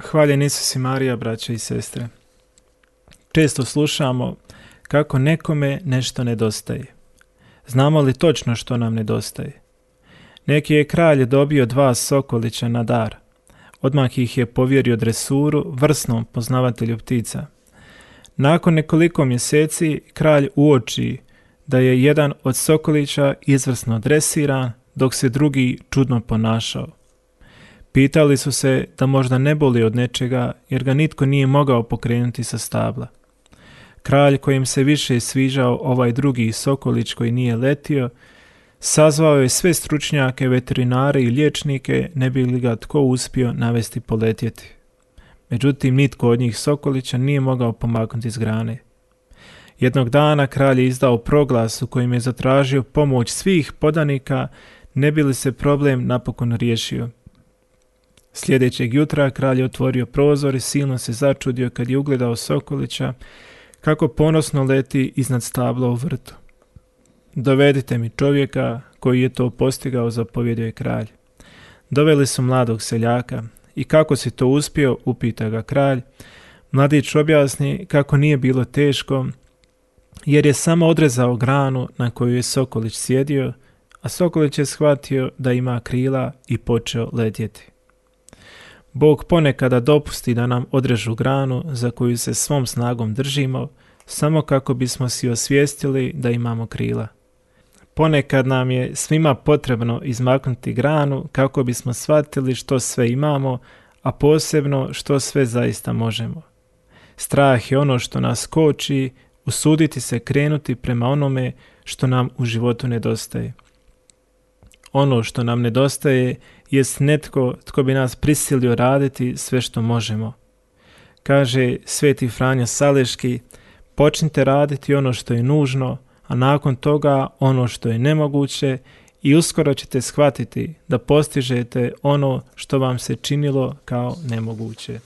Hvaljen Isus i Marija, braće i sestre. Često slušamo kako nekome nešto nedostaje. Znamo li točno što nam nedostaje? Neki je kralj dobio 2 sokolića na dar. Odmah ih je povjerio dresuru vrsnom poznavatelju ptica. Nakon nekoliko mjeseci kralj uoči da je jedan od sokolića izvrsno dresiran, dok se drugi čudno ponašao. Pitali su se da možda ne boli od nečega, jer ga nitko nije mogao pokrenuti sa stabla. Kralj, kojem se više sviđao ovaj drugi sokolić koji nije letio, sazvao je sve stručnjake, veterinare i liječnike, ne bi li ga tko uspio navesti poletjeti. Međutim, nitko od njih sokolića nije mogao pomaknuti s grane. Jednog dana kralj je izdao proglas u kojem je zatražio pomoć svih podanika, ne bi li se problem napokon riješio. Sljedećeg jutra kralj je otvorio prozor i silno se začudio kad je ugledao sokolića kako ponosno leti iznad stabla u vrtu. Dovedite mi čovjeka koji je to postigao, zapovjedio je kralj. Doveli su mladog seljaka. I kako si to uspio, upita ga kralj. Mladić objasni kako nije bilo teško, jer je samo odrezao granu na koju je sokolić sjedio, a sokolić je shvatio da ima krila i počeo letjeti. Bog ponekada dopusti da nam odrežu granu za koju se svom snagom držimo, samo kako bismo si osvijestili da imamo krila. Ponekad nam je svima potrebno izmaknuti granu kako bismo shvatili što sve imamo, a posebno što sve zaista možemo. Strah je ono što nas koči, usuditi se krenuti prema onome što nam u životu nedostaje. Ono što nam nedostaje jest netko tko bi nas prisilio raditi sve što možemo. Kaže Sveti Franjo Saleški, počnite raditi ono što je nužno, a nakon toga ono što je nemoguće i uskoro ćete shvatiti da postižete ono što vam se činilo kao nemoguće.